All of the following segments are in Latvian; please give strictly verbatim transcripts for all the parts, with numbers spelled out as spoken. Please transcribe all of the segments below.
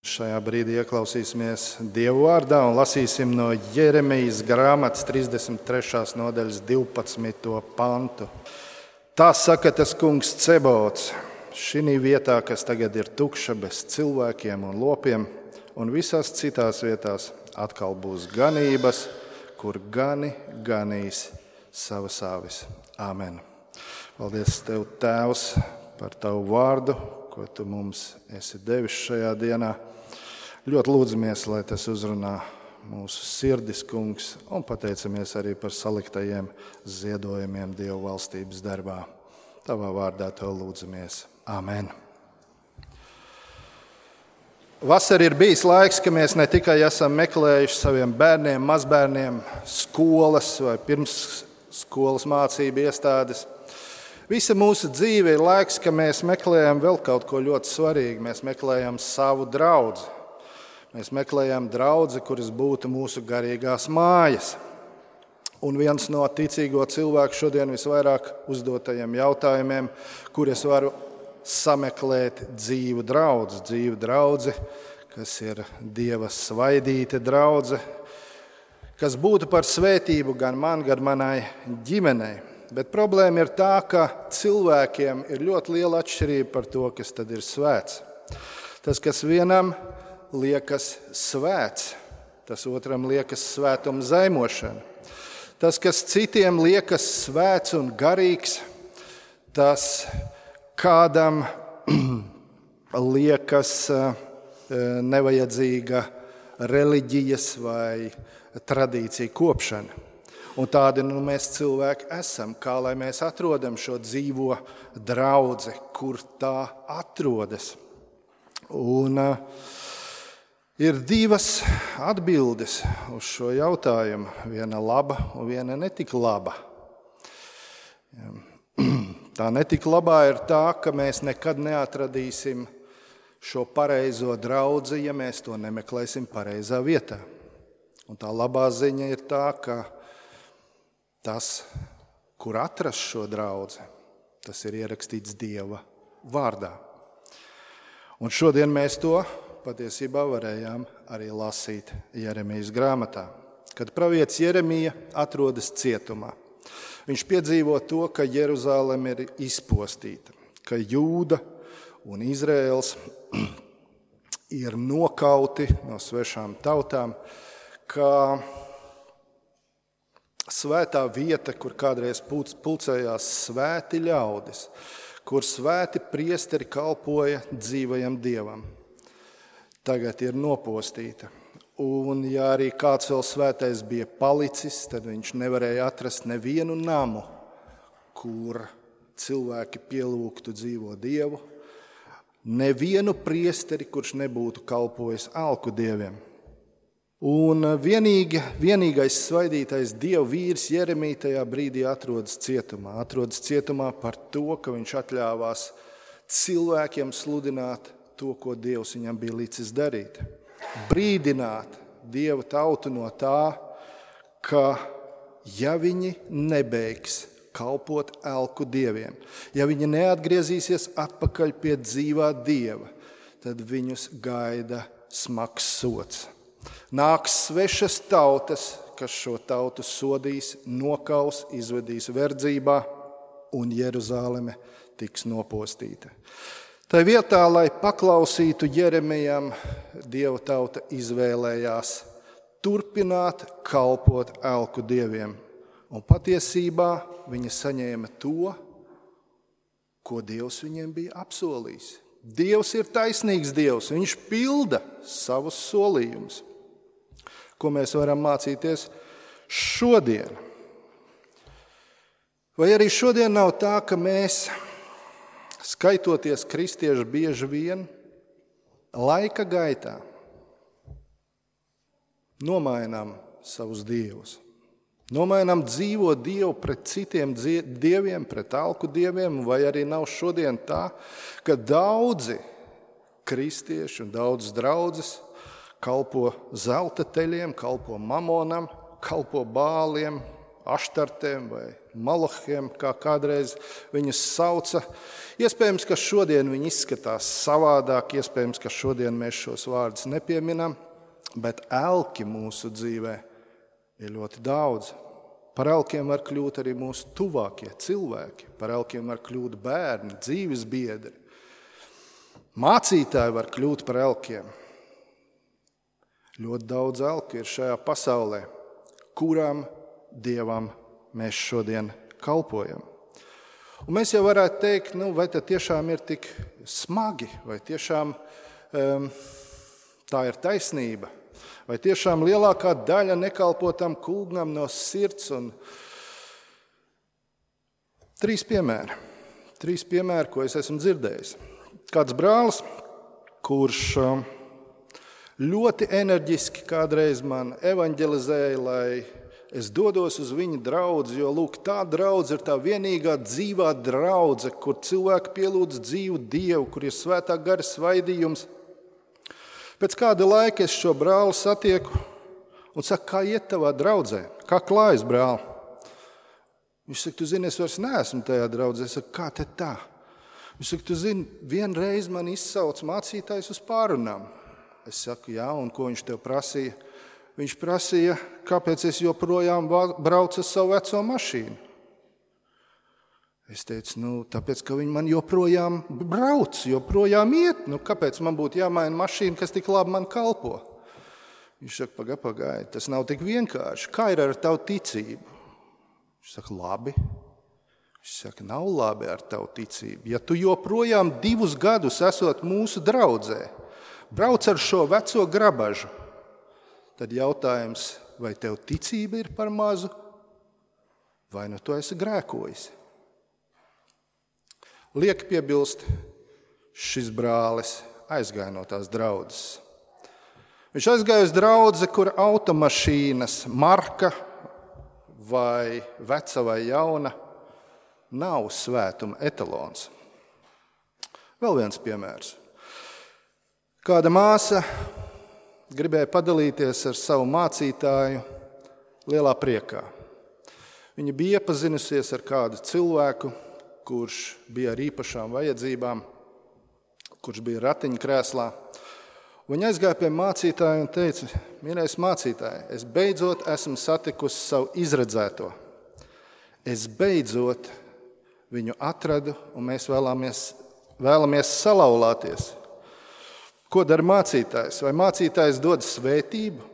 Šajā brīdī ieklausīsimies Dieva vārdā un lasīsim no Jeremijas grāmatas trīsdesmit trešās nodaļas divpadsmito pantu. Tā saka tas kungs Cebaots: šī vietā, kas tagad ir tukša bez cilvēkiem un lopiem, un visās citās vietās atkal būs ganības, kur gani ganīs savas avis. Āmen. Paldies Tev, Tēvs, par Tavu vārdu, ko Tu mums esi devis šajā dienā. Ļoti lūdzamies, lai tas uzrunā mūsu sirdis, kungs, un pateicamies arī par saliktajiem ziedojumiem Dieva valstības darbā. Tavā vārdā to lūdzamies. Āmen. Vasarā ir bijis laiks, ka mēs ne tikai esam meklējuši saviem bērniem, mazbērniem skolas vai pirmsskolas mācību iestādes. Visa mūsu dzīve ir laiks, ka mēs meklējam vēl kaut ko ļoti svarīgu. Mēs meklējam savu draudzi. Mēs meklējam draudzi, kuras būtu mūsu garīgās mājas. Un viens no ticīgo cilvēku šodien visvairāk uzdotajiem jautājumiem, kur es varu sameklēt dzīvu draudzi, dzīvu draudzi, kas ir Dieva svaidīta draudze, kas būtu par svētību gan man, gan manai ģimenei. Bet problēma ir tā, ka cilvēkiem ir ļoti liela atšķirība par to, kas tad ir svēts. Tas, kas vienam liekas svēts, tas otram liekas svētuma zaimošana. Tas, kas citiem liekas svēts un garīgs, tas kādam liekas nevajadzīga reliģijas vai tradīcija kopšana. Un tādi nu mēs cilvēki esam. Kā lai mēs atrodam šo dzīvo draudzi, kur tā atrodas? Un uh, ir divas atbildes uz šo jautājumu. Viena laba un viena netik laba. Tā netik labā ir tā, ka mēs nekad neatradīsim šo pareizo draudzi, ja mēs to nemeklēsim pareizā vietā. Un tā labā ziņa ir tā, ka tas, kur atrast šo draudzi, tas ir ierakstīts Dieva vārdā. Un šodien mēs to patiesībā varējām arī lasīt Jeremijas grāmatā, kad pravietis Jeremija atrodas cietumā. Viņš piedzīvo to, ka Jeruzaleme ir izpostīta, ka Jūda un Izraēls ir nokauti no svešām tautām, ka svētā vieta, kur kādreiz pulcējās svēti ļaudis, kur svēti priesteri kalpoja dzīvajam Dievam, tagad ir nopostīta. Un ja arī kāds vēl svētais bija palicis, tad viņš nevarēja atrast nevienu namu, kur cilvēki pielūgtu dzīvo Dievu, nevienu priesteri, kurš nebūtu kalpojis alku dieviem. Un vienīgi, vienīgais svaidītais Dieva vīrs Jeremija tajā brīdī atrodas cietumā. Atrodas cietumā par to, ka viņš atļāvās cilvēkiem sludināt to, ko Dievs viņam bija licis darīt. Brīdināt Dieva tautu no tā, ka ja viņi nebeigs kalpot elku dieviem, ja viņi neatgriezīsies atpakaļ pie dzīvā Dieva, tad viņus gaida smags sods. Nāks svešas tautas, kas šo tautu sodīs, nokaus, izvedīs verdzībā, un Jeruzaleme tiks nopostīta. Tā vietā, lai paklausītu Jeremijam, Dieva tauta izvēlējās turpināt kalpot elku dieviem. Un patiesībā viņi saņēma to, ko Dievs viņiem bija apsolījis. Dievs ir taisnīgs Dievs, viņš pilda savus solījumus. Ko mēs varam mācīties šodien? Vai arī šodien nav tā, ka mēs, skaitoties kristieši bieži vien, laika gaitā nomainām savus dievus. Nomainām dzīvo Dievu pret citiem dieviem, pret alku dieviem, vai arī nav šodien tā, ka daudzi kristieši un daudzas draudzes kalpo zelta teļiem, kalpo mamonam, kalpo bāliem, aštartēm vai malahiem, kā kādreiz viņus sauca. Iespējams, ka šodien viņi izskatās savādāk, iespējams, ka šodien mēs šos vārdus nepieminam, bet elki mūsu dzīvē ir ļoti daudz. Par elkiem var kļūt arī mūsu tuvākie cilvēki, par elkiem var kļūt bērni, dzīves biedri. Mācītāji var kļūt par elkiem. Ļoti daudz elku ir šajā pasaulē, kurām Dievam mēs šodien kalpojam. Un mēs jau varētu teikt, nu, vai tas tiešām ir tik smagi, vai tiešām um, tā ir taisnība, vai tiešām lielākā daļa nekalpo tam kungam no sirds. Un trīs piemēri, trīs piemēri, ko es esmu dzirdējis. Kāds brālis, kurš ļoti enerģiski kādreiz man evanģelizēja, lai es dodos uz viņa draudzi, jo lūk, tā draudze ir tā vienīgā dzīvā draudze, kur cilvēki pielūdz dzīvu Dievu, kur ir svētā gara svaidījums. Pēc kāda laika es šo brāli satieku un saku, kā iet tavā draudzē, kā klājas, brāli? Viņš saka, tu zini, es vairs neesmu tajā draudzē. Es saku, kā te tā? Viņš saka, tu zini, vienreiz man izsauc mācītājs uz pārunām. Es saku, jā, un ko viņš tev prasīja? Viņš prasīja, kāpēc es joprojām braucu ar savu veco mašīnu. Es teicu, nu, tāpēc, ka viņi man joprojām brauc, joprojām iet. Nu, kāpēc man būtu jāmaina mašīna, kas tik labi man kalpo? Viņš saka, paga, pagaidi, tas nav tik vienkārši. Kā ir ar tavu ticību? Viņš saka, labi. Viņš saka, nav labi ar tavu ticību. Ja tu joprojām divus gadus esot mūsu draudzē, brauc ar šo veco grabažu, tad jautājums, vai tev ticība ir par mazu, vai nu tu esi grēkojis. Liek piebilst, šis brālis aizgāja no tās draudzes. Viņš aizgāja uz draudzi, kur automašīnas marka vai veca vai jauna nav svētuma etalons. Vēl viens piemērs. Kāda māsa gribēja padalīties ar savu mācītāju lielā priekā. Viņa bija iepazinusies ar kādu cilvēku, kurš bija ar īpašām vajadzībām, kurš bija ratiņkrēslā. Viņa aizgāja pie mācītāja un teica, mīļais mācītāji, es beidzot esmu satikusi savu izredzēto. Es beidzot viņu atradu un mēs vēlamies, vēlamies salauzties. Ko dara mācītājs? Vai mācītājs dod svētību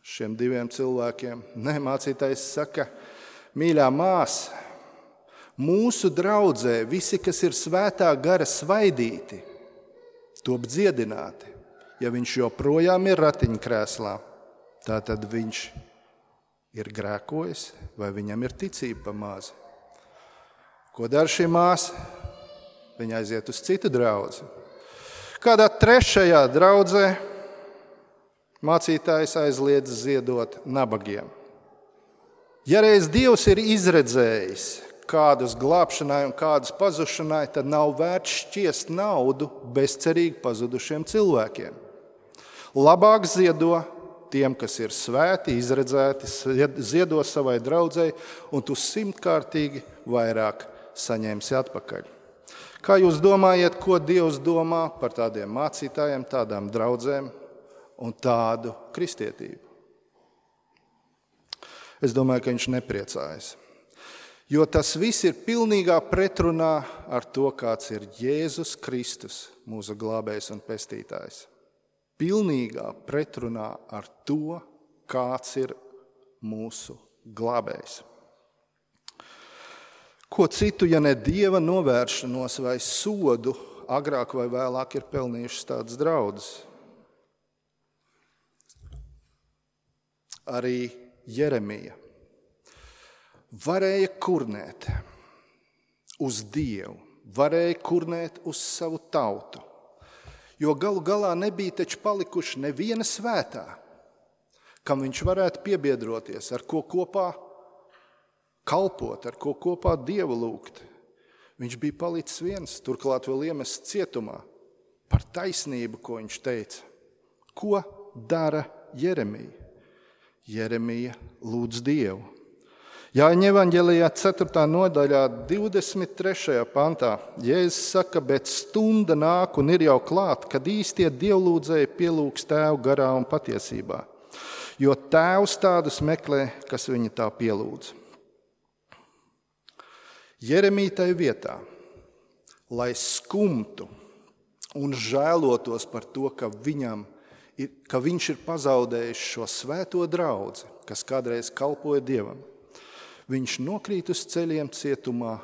šiem diviem cilvēkiem? Nē, mācītājs saka, mīļā māsa, mūsu draudzē visi, kas ir svētā gara svaidīti, top dziedināti. Ja viņš joprojām ir ratiņkrēslā, tātad viņš ir grēkojis vai viņam ir ticība pa mazu. Ko dara šī māsa? Viņa aiziet uz citu draudzi. Kādā trešajā draudzē mācītājs aizliedz ziedot nabagiem. Ja reiz Dievs ir izredzējis kādus glābšanai un kādus pazušanai, tad nav vērts šķiest naudu bezcerīgi pazudušiem cilvēkiem. Labāk ziedo tiem, kas ir svēti, izredzēti, ziedo savai draudzei, un tu simtkārtīgi vairāk saņemsi atpakaļ. Kā jūs domājat, ko Dievs domā par tādiem mācītājiem, tādām draudzēm un tādu kristietību? Es domāju, ka viņš nepriecājas. Jo tas viss ir pilnīgā pretrunā ar to, kāds ir Jēzus Kristus, mūsu glābējs un pestītājs. Pilnīgā pretrunā ar to, kāds ir mūsu glābējs. Ko citu, ja ne Dieva novēršanos vai sodu, agrāk vai vēlāk ir pelnījušas tādas draudzes? Arī Jeremija varēja kurnēt uz Dievu, varēja kurnēt uz savu tautu, jo galu galā nebija taču palikuši neviena svētā, kam viņš varētu piebiedroties, ar ko kopā kalpot, ar ko kopā Dievu lūgt. Viņš bija palicis viens, turklāt vēl iemests cietumā par taisnību, ko viņš teica. Ko dara Jeremija? Jeremija lūdz Dievu. Jāņa evaņģelijā ceturtā nodaļā divdesmit trešajā pantā Jēzus saka, bet stunda nāk un ir jau klāt, kad īstie dievlūdzēji pielūgs Tēvu garā un patiesībā. Jo Tēvs tādus meklē, kas viņa tā pielūdz. Jeremija tai vietā, lai skumtu un žēlotos par to, ka, viņam, ir, ka viņš ir pazaudējis šo svēto draudzi, kas kādreiz kalpoja Dievam, viņš nokrīt uz ceļiem cietumā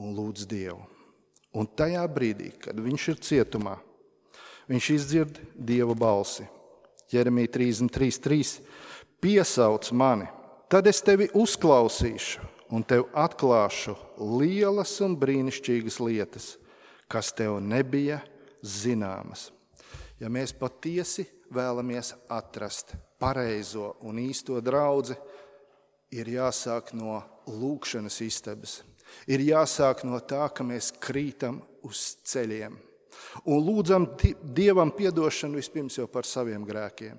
un lūdz Dievu. Un tajā brīdī, kad viņš ir cietumā, viņš izdzird Dieva balsi. Jeremija trīsdesmit trīs trīs piesauc mani, tad es tevi uzklausīšu un tev atklāšu lielas un brīnišķīgas lietas, kas tev nebija zināmas. Ja mēs patiesi vēlamies atrast pareizo un īsto draudzi, ir jāsāk no lūkšanas istabas. Ir jāsāk no tā, ka mēs krītam uz ceļiem un lūdzam Dievam piedošanu vispirms jau par saviem grēkiem.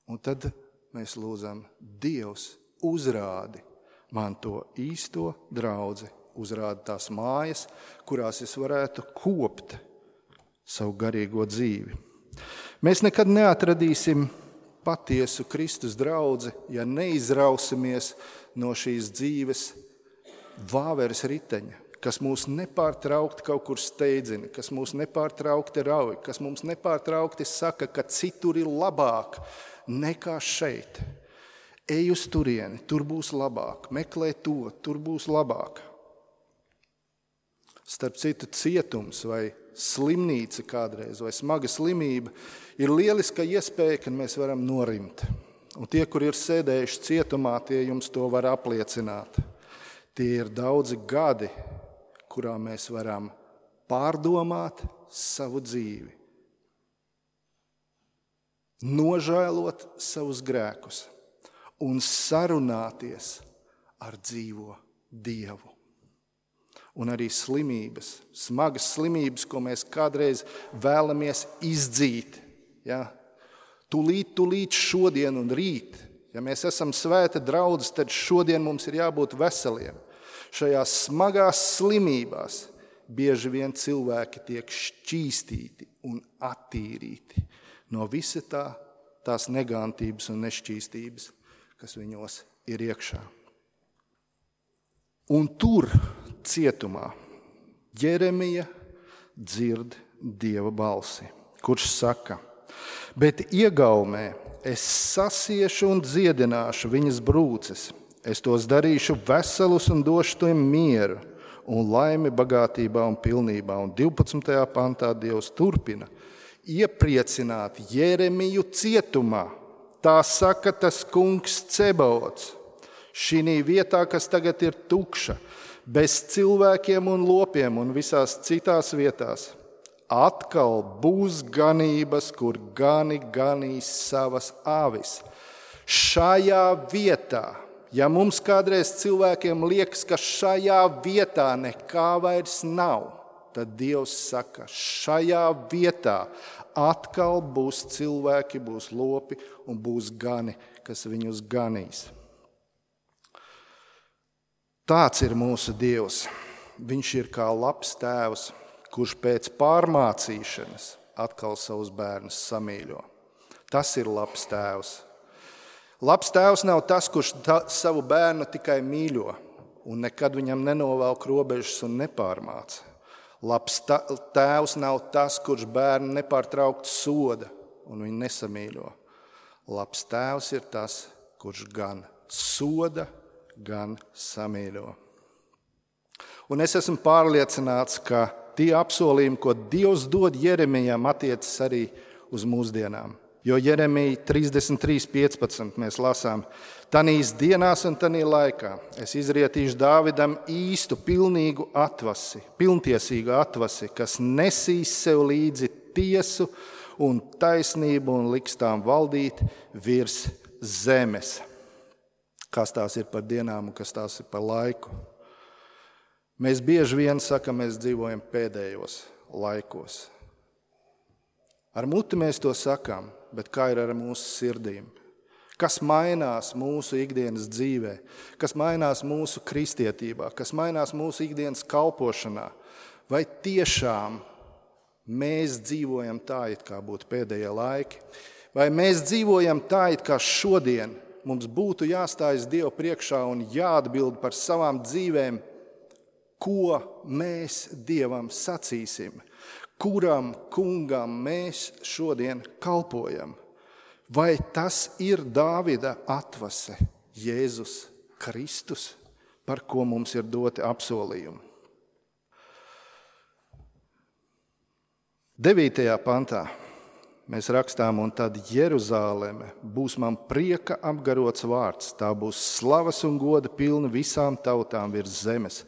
Un tad mēs lūdzam, Dievs uzrādi man to īsto draudzi, uzrādi tās mājas, kurās es varētu kopt savu garīgo dzīvi. Mēs nekad neatradīsim patiesu Kristus draudzi, ja neizrausimies no šīs dzīves vāveres riteņa, kas mūs nepārtraukti kaut kur steidzina, kas mūs nepārtraukti rauj, kas mums nepārtraukti saka, ka citur ir labāk nekā šeit. Ej uz turieni, tur būs labāk, meklē to, tur būs labāk. Starp citu, cietums vai slimnīca kādreiz vai smaga slimība ir lieliska iespēja, kad mēs varam norimt. Un tie, kur ir sēdējuši cietumā, tie jums to var apliecināt. Tie ir daudzi gadi, kurā mēs varam pārdomāt savu dzīvi, nožēlot savus grēkus un sarunāties ar dzīvo Dievu. Un arī slimības, smagas slimības, ko mēs kādreiz vēlamies izdzīt. Ja? Tūlīt, tūlīt šodien un rīt. Ja mēs esam svēta draudzes, tad šodien mums ir jābūt veseliem. Šajās smagās slimībās bieži vien cilvēki tiek šķīstīti un attīrīti no visa tā, tās negantības un nešķīstības, kas viņos ir iekšā. Un tur, cietumā, Jeremija dzird Dieva balsi, kurš saka, bet iegaumē es sasiešu un dziedināšu viņas brūces, es tos darīšu veselus un došu tiem mieru un laimi bagātībā un pilnībā. Un divpadsmitajā pantā Dievs turpina iepriecināt Jeremiju cietumā. Tā saka tas kungs Cebaots. Šī vietā, kas tagad ir tukša, bez cilvēkiem un lopiem un visās citās vietās, atkal būs ganības, kur gani ganīs savas avis. Šajā vietā, ja mums kādreiz cilvēkiem liekas, ka šajā vietā nekā vairs nav, tad Dievs saka, šajā vietā atkal būs cilvēki, būs lopi un būs gani, kas viņus ganīs. Tāds ir mūsu Dievs. Viņš ir kā labs tēvs, kurš pēc pārmācīšanas atkal savus bērnus samīļo. Tas ir labs tēvs. Labs tēvs nav tas, kurš ta, savu bērnu tikai mīļo un nekad viņam nenovelk robežas un nepārmāca. Labs ta, tēvs nav tas, kurš bērnu nepārtraukti soda un viņu nesamīļo. Labs tēvs ir tas, kurš gan soda, gan samīļo. Un es esmu pārliecināts, ka tie apsolījumi, ko Dievs dod Jeremijam, attiecas arī uz mūsdienām. Jo Jeremija trīsdesmit trīs piecpadsmit mēs lasām, tanīs dienās un tanī laikā es izrietīšu Dāvidam īstu, pilnīgu atvasi, pilntiesīgu atvasi, kas nesīs sev līdzi tiesu un taisnību un liks tām valdīt virs zemes. Kas tās ir par dienām un kas tās ir par laiku. Mēs bieži vien sakam, mēs dzīvojam pēdējos laikos. Ar muti mēs to sakām, bet kā ir ar mūsu sirdīm? Kas mainās mūsu ikdienas dzīvē, kas mainās mūsu kristietībā, kas mainās mūsu ikdienas kalpošanā? Vai tiešām mēs dzīvojam tā, it kā būtu pēdējie laiki? Vai mēs dzīvojam tā, it kā šodien mums būtu jāstājas Dievu priekšā un jāatbild par savām dzīvēm, ko mēs Dievam sacīsim, kuram kungam mēs šodien kalpojam? Vai tas ir Dāvida atvase, Jēzus Kristus, par ko mums ir doti apsolījumi? devītajā pantā mēs rakstām, un tad Jeruzāleme būs man prieka apgarots vārds, tā būs slavas un goda pilna visām tautām virs zemes.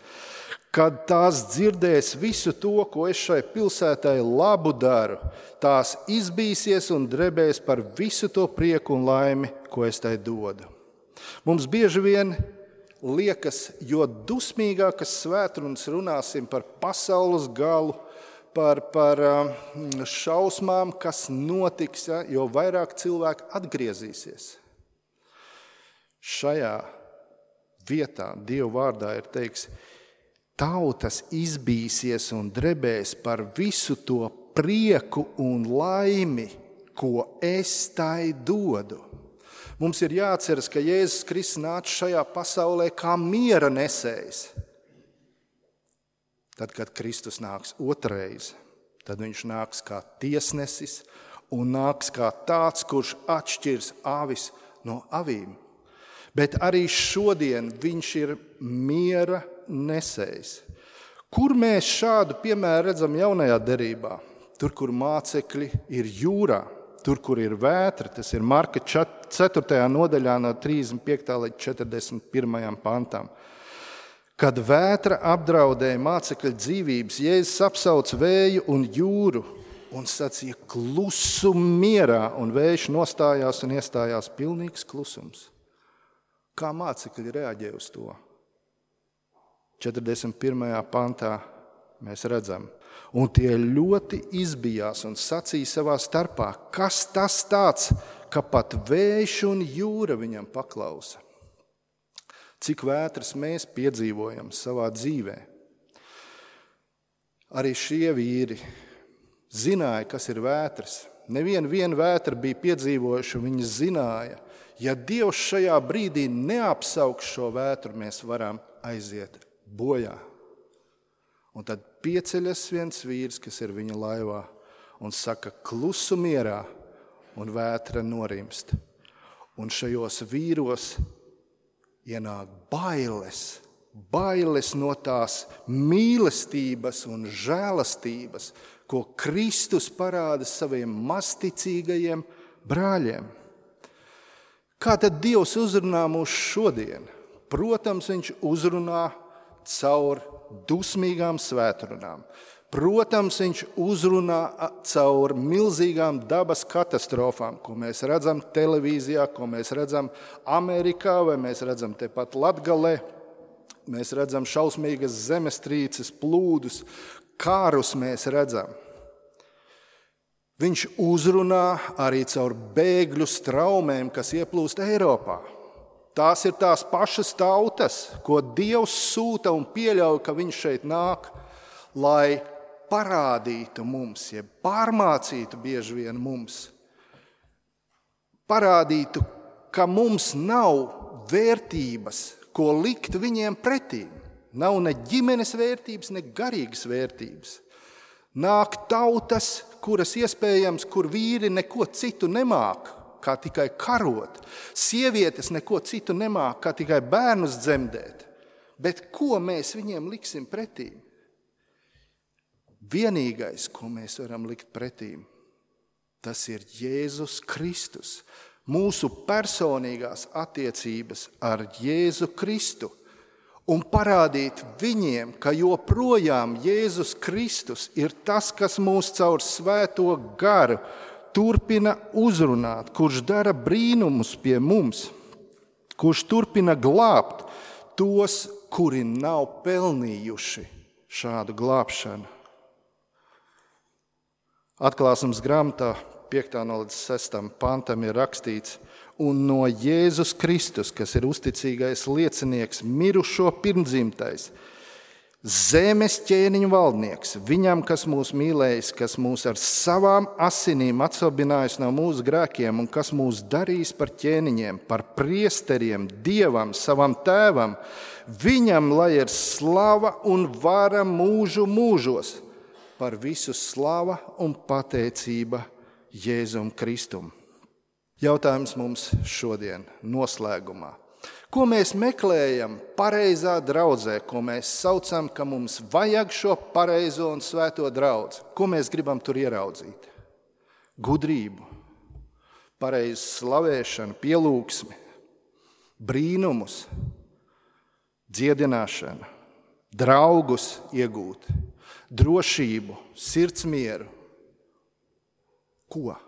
Kad tās dzirdēs visu to, ko es šai pilsētai labu daru, tās izbīsies un drebēs par visu to prieku un laimi, ko es tai dodu. Mums bieži vien liekas, jo dusmīgākas svētrunas runāsim par pasaules galu, par, par šausmām, kas notiks, jo vairāk cilvēku atgriezīsies. Šajā vietā Dieva vārdā ir teiks, tautas izbīsies un drebēs par visu to prieku un laimi, ko es tai dodu. Mums ir jāatceras, ka Jēzus Kristus nāca šajā pasaulē kā miera nesējs. Tad, kad Kristus nāks otrais, tad viņš nāks kā tiesnesis un nāks kā tāds, kurš atšķirs avis no avīm. Bet arī šodien viņš ir miera nesējs. Kur mēs šādu piemēru redzam jaunajā derībā? Tur, kur mācekļi ir jūrā, tur, kur ir vētra, tas ir Marka ceturtajā nodaļā no trīsdesmit piektā līdz četrdesmit pirmajam pantam. Kad vētra apdraudēja mācekļu dzīvības, Jēzus apsauc vēju un jūru un sacīja klusum mierā, un vējš nostājās un iestājās pilnīgs klusums. Kā mācekļi reaģē uz to? četrdesmit pirmajā pantā mēs redzam, un tie ļoti izbijās un sacīja savā starpā, kas tas tāds, ka pat vējš un jūra viņam paklausa. Cik vētras mēs piedzīvojam savā dzīvē. Arī šie vīri zināja, kas ir vētras. Nevienu vienu vētru bija piedzīvojuši, viņi zināja, ja Dievs šajā brīdī neapsauks šo vētru, mēs varam aiziet bojā. Un tad pieceļas viens vīrs, kas ir viņa laivā, un saka klusu mierā, un vētra norimst. Un šajos vīros ienāk bailes, bailes no tās mīlestības un žēlastības, ko Kristus parāda saviem masticīgajiem brāļiem. Kā tad Dievs uzrunā mūs šodien? Protams, viņš uzrunā caur dusmīgām svētrunām. Protams, viņš uzrunā caur milzīgām dabas katastrofām, ko mēs redzam televīzijā, ko mēs redzam Amerikā, vai mēs redzam tepat Latgalē. Mēs redzam šausmīgas zemestrīces, plūdus, kārus mēs redzam. Viņš uzrunā arī caur bēgļu straumēm, kas ieplūst Eiropā. Tās ir tās pašas tautas, ko Dievs sūta un pieļauj, ka viņš šeit nāk, lai parādītu mums, ja pārmācītu bieži vien mums. Parādītu, ka mums nav vērtības, ko likt viņiem pretī. Nav ne ģimenes vērtības, ne garīgas vērtības. Nāk tautas, kuras iespējams, kur vīri neko citu nemāk, kā tikai karot. Sievietes neko citu nemāk, kā tikai bērnus dzemdēt. Bet ko mēs viņiem liksim pretī? Vienīgais, ko mēs varam likt pretī, tas ir Jēzus Kristus. Mūsu personīgās attiecības ar Jēzu Kristu. Un parādīt viņiem, ka joprojām Jēzus Kristus ir tas, kas mūs caur svēto garu turpina uzrunāt, kurš dara brīnumus pie mums, kurš turpina glābt tos, kuri nav pelnījuši šādu glābšanu. Atklāsmes grāmatā piektā no līdz sestam pantam ir rakstīts, un no Jēzus Kristus, kas ir uzticīgais liecinieks, mirušo pirmdzimtais, zemes ķēniņu valdnieks, viņam, kas mūs mīlējis, kas mūs ar savām asinīm atsalbinājis no mūsu grēkiem un kas mūs darīs par ķēniņiem, par priesteriem, Dievam, savam tēvam, viņam, lai ir slava un vara mūžu mūžos, par visu slava un pateicība Jēzum Kristum. Jautājums mums šodien noslēgumā. Ko mēs meklējam pareizā draudzē, ko mēs saucam, ka mums vajag šo pareizo un svēto draudzi? Ko mēs gribam tur ieraudzīt? Gudrību, pareizu slavēšanu, pielūgsmi, brīnumus, dziedināšanu, draugus iegūt, drošību, sirdsmieru. Ko?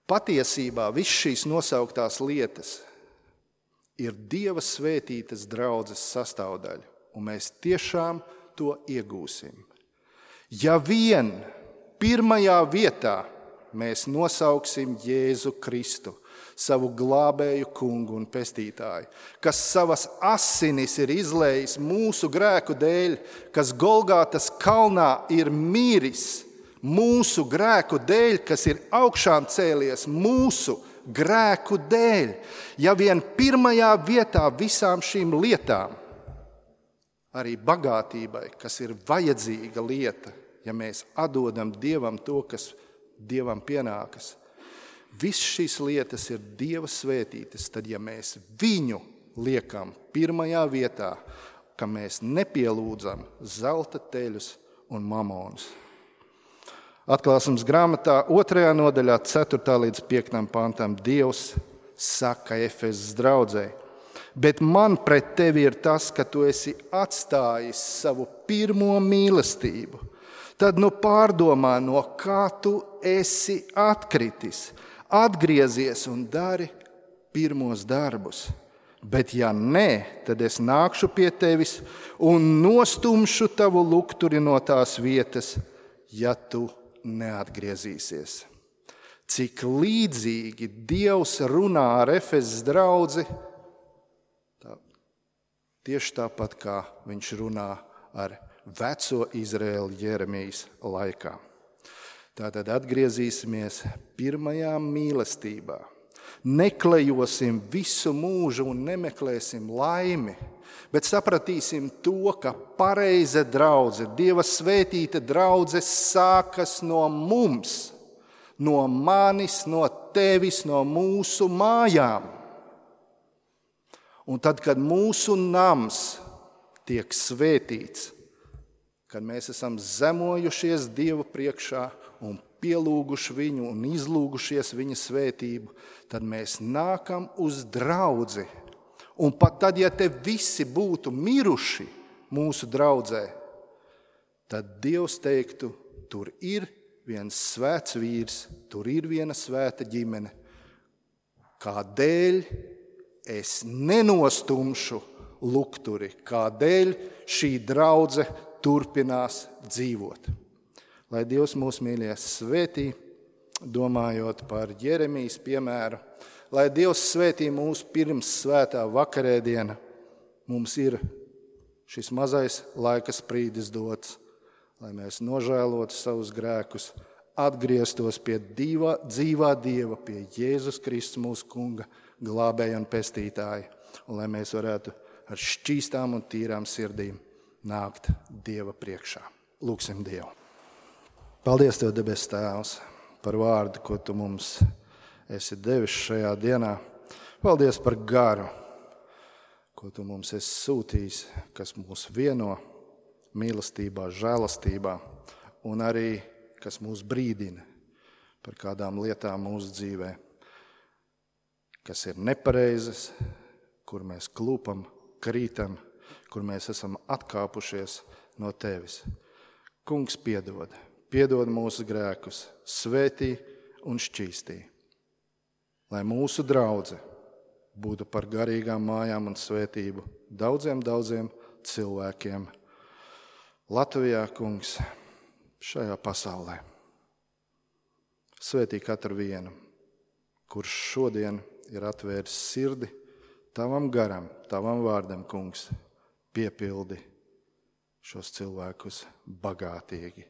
Patiesībā viss šīs nosauktās lietas ir Dieva svētītas draudzes sastāvdaļa, un mēs tiešām to iegūsim. Ja vien pirmajā vietā mēs nosauksim Jēzu Kristu, savu glābēju kungu un pestītāju, kas savas asinis ir izlējis mūsu grēku dēļ, kas Golgātas kalnā ir mīris mūsu grēku dēļ, kas ir augšām cēlies mūsu grēku dēļ. Ja vien pirmajā vietā visām šīm lietām, arī bagātībai, kas ir vajadzīga lieta, ja mēs atdodam Dievam to, kas Dievam pienākas, viss šīs lietas ir Dieva svētītas, tad ja mēs viņu liekam pirmajā vietā, ka mēs nepielūdzam zelta teļus un mamonus. Atklāsmes grāmatā otrajā nodaļā, ceturtā līdz piektam pantam, Dievs saka Efezas draudzei: bet man pret tevi ir tas, ka tu esi atstājis savu pirmo mīlestību. Tad nu pārdomā, no kā tu esi atkritis, atgriezies un dari pirmos darbus. Bet ja nē, tad es nākšu pie tevis un nostumšu tavu lukturi no tās vietas, ja tu neatgriezīsies. Cik līdzīgi Dievs runā ar Efezas draudzi, tā, tieši tāpat kā viņš runā ar veco Izraēlu Jeremijas laikā. Tātad atgriezīsimies pirmajā mīlestībā. Neklejosim visu mūžu un nemeklēsim laimi, bet sapratīsim to, ka pareiza draudze, Dieva svētīta draudze sākas no mums, no manis, no tevis, no mūsu mājām. Un tad, kad mūsu nams tiek svētīts, kad mēs esam zemojušies Dieva priekšā un pielūguši viņu un izlūgušies viņa svētību, tad mēs nākam uz draudzi. Un pat tad, ja te visi būtu miruši mūsu draudzē, tad Dievs teiktu, tur ir viens svēts vīrs, tur ir viena svēta ģimene, kādēļ es nenostumšu lukturi, kādēļ šī draudze turpinās dzīvot. Lai Dievs mūs mīļie svētī, domājot par Jeremijas piemēru, lai Dievs svētī mūs pirms svētā vakarēdiena, mums ir šis mazais laika sprīdis dots, lai mēs nožēlotu savus grēkus, atgrieztos pie dzīvā, dzīvā Dieva, pie Jēzus Kristus mūsu kunga, glābēja un pestītāja, un lai mēs varētu ar šķīstām un tīrām sirdīm nākt Dieva priekšā. Lūksim Dievu. Paldies Tev, debes Tēvs, par vārdu, ko Tu mums esi devis šajā dienā. Paldies par garu, ko Tu mums esi sūtījis, kas mūs vieno mīlestībā, žēlastībā, un arī, kas mūs brīdina par kādām lietām mūsu dzīvē, kas ir nepareizas, kur mēs klūpam, krītam, kur mēs esam atkāpušies no Tevis. Kungs, piedod, piedod mūsu grēkus, svētī un šķīstī. Lai mūsu draudze būtu par garīgām mājām un svētību daudziem, daudziem cilvēkiem Latvijā, Kungs, šajā pasaulē. Svētī katru vienu, kurš šodien ir atvēris sirdi tavam garam, tavam vārdam, kungs, piepildi šos cilvēkus bagātīgi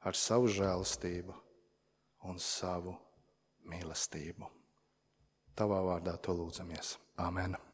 ar savu žēlastību un savu mīlestību. Tavā vārdā to lūdzamies. Āmen.